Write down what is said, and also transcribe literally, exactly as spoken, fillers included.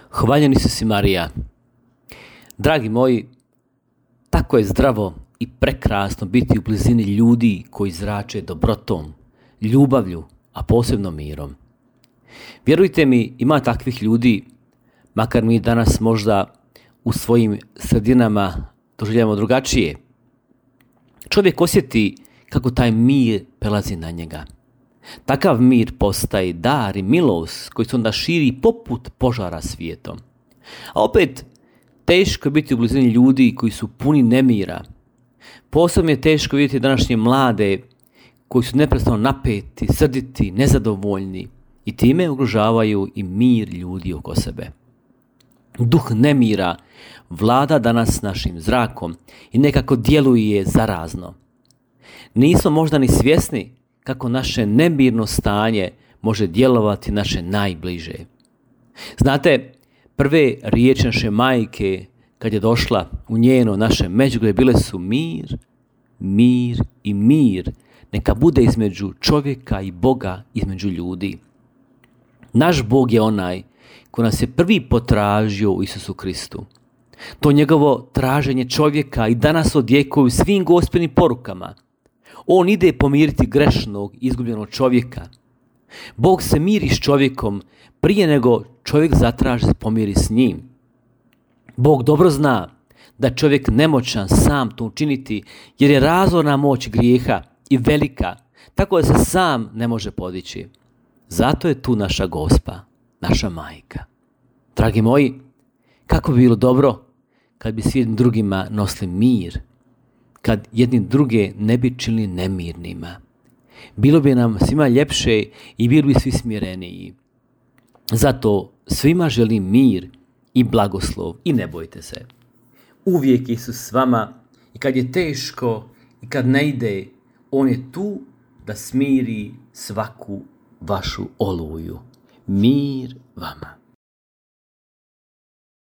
Hvaljeni su si, Marija. Dragi moji, tako je zdravo i prekrasno biti u blizini ljudi koji zrače dobrotom, ljubavlju, a posebno mirom. Vjerujte mi, ima takvih ljudi, makar mi danas možda u svojim sredinama doživljavamo drugačije. Čovjek osjeti kako taj mir prelazi na njega. Takav mir postaje dar i milost koji se onda širi poput požara svijetom. A opet, teško je biti u blizini ljudi koji su puni nemira. Posebno je teško vidjeti današnje mlade koji su neprestano napeti, srditi, nezadovoljni i time ugrožavaju i mir ljudi oko sebe. Duh nemira vlada danas našim zrakom i nekako djeluje zarazno. Nismo možda ni svjesni kako naše nemirno stanje može djelovati naše najbliže. Znate, prve riječi naše majke kad je došla u njeno naše međugrade bile su mir, mir i mir. Neka bude između čovjeka i Boga, između ljudi. Naš Bog je onaj koji nas je prvi potražio u Isusu Kristu. To njegovo traženje čovjeka i danas odjekuje svim gospelnim porukama. On ide pomiriti grešnog, izgubljenog čovjeka. Bog se miri s čovjekom prije nego čovjek zatraži se pomiri s njim. Bog dobro zna da čovjek nemoćan sam to učiniti jer je razorna moć grijeha i velika, tako da se sam ne može podići. Zato je tu naša Gospa, naša majka. Dragi moji, kako bi bilo dobro kad bi svi drugima nosili mir, kad jedni druge ne bi činili nemirnima. Bilo bi nam svima ljepše i bili bi svi smireniji. Zato svima želim mir i blagoslov i ne bojte se. Uvijek Isus s vama i kad je teško i kad ne ide, On je tu da smiri svaku vašu oluju. Mir vama.